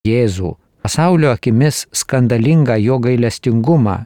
Jėzų, pasaulio akimis skandalingą jo gailestingumą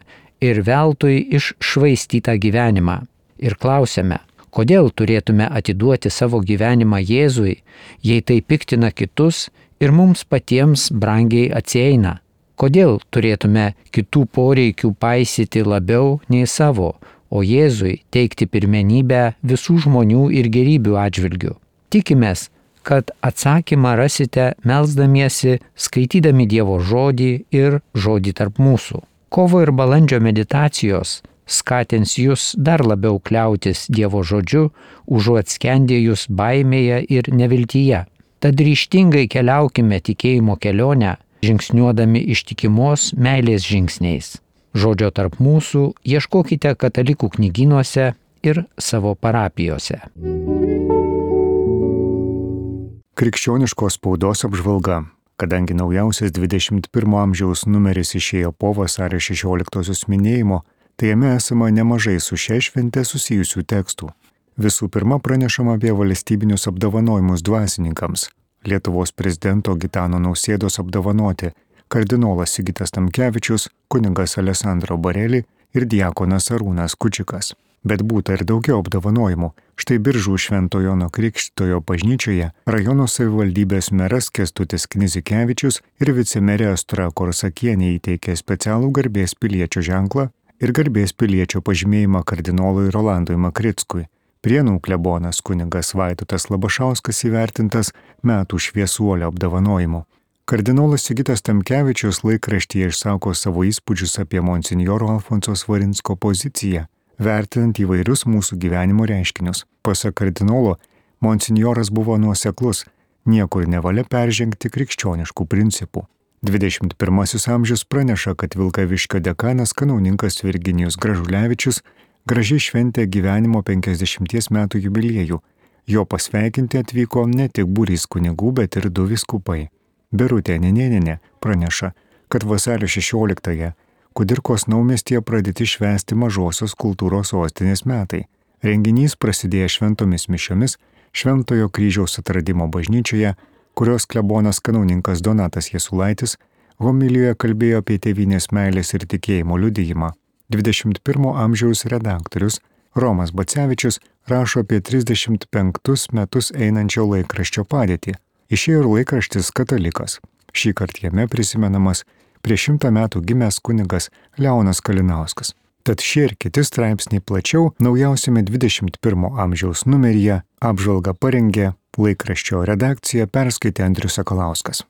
ir veltui iššvaistytą gyvenimą. Ir klausiame, kodėl turėtume atiduoti savo gyvenimą Jėzui, jei tai piktina kitus ir mums patiems brangiai atsieina? Kodėl turėtume kitų poreikių paisyti labiau nei savo, o Jėzui teikti pirmenybę visų žmonių ir gėrybių atžvilgių? Tikimės, kad atsakymą rasite melsdamiesi, skaitydami Dievo žodį ir žodį tarp mūsų. Kovo ir balandžio meditacijos skatins jūs dar labiau kliautis Dievo žodžiu, užuot skendėjus baimėje ir neviltyje. Tad ryžtingai keliaukime tikėjimo kelionę, žingsniuodami ištikimos meilės žingsniais. Žodžio tarp mūsų ieškokite katalikų knygynuose ir savo parapijose. Krikščioniškos spaudos apžvalga. Kadangi naujausias 21 amžiaus numeris išėjo po vasario 16 minėjimo, tai jame esama nemažai su šia švente susijusių tekstų. Visų pirma, pranešama apie valstybinius apdovanojimus dvasininkams. Lietuvos prezidento Gitano Nausėdos apdovanoti kardinolas Sigitas Tamkevičius, kunigas Alessandro Bareli ir diakonas Arūnas Kučikas. Bet būta ir daugiau apdovanojimų. Štai Biržų Švento Jono Krikštytojo bažnyčioje rajono savivaldybės meras Kęstutis Knizikevičius ir vicemerė Astra Korsakienė įteikė specialų garbės piliečio ženklą ir garbės piliečio pažymėjimą kardinolui Rolandui Makrickui. Prienų klebonas kunigas Vaidotas Labašauskas įvertintas metų šviesuolio apdovanojimu. Kardinolas Sigitas Tamkevičius laikraštyje išsako savo įspūdžius apie monsinjoro Alfonso Svarinsko poziciją, vertinant įvairius mūsų gyvenimo reiškinius. Pasak kardinolo, monsinjoras buvo nuoseklus, niekur nevalia peržengti krikščioniškų principų. 21 amžius praneša, kad Vilkaviškio dekanas kanauninkas Virginijus Gražulevičius gražiai šventė gyvenimo 50 metų jubiliejų. Jo pasveikinti atvyko ne tik būrys kunigų, bet ir 2 vyskupai. Birutė Nenėnienė praneša, kad vasario 16-ąją Kudirkos naumiestyje pradėti švęsti mažosios kultūros sostinės metai. Renginys prasidėjo šventomis mišiomis Šventojo kryžiaus atradimo bažnyčioje, kurios klebonas kanauninkas Donatas Jasulaitis homilijoje kalbėjo apie tėvynės meilės ir tikėjimo liudijimą. 21 amžiaus redaktorius Romas Bacevičius rašo apie 35 metus einančio laikraščio padėtį. Išėjo ir laikraštis Katalikas. Šįkart jame prisimenamas prieš 100 metų gimęs kunigas Leonas Kalinauskas. Tad šie ir kiti straipsniai plačiau naujausiame 21 amžiaus numeryje apžvalgą parengė laikraščio redakcija, perskaitė Andrius Sakalauskas.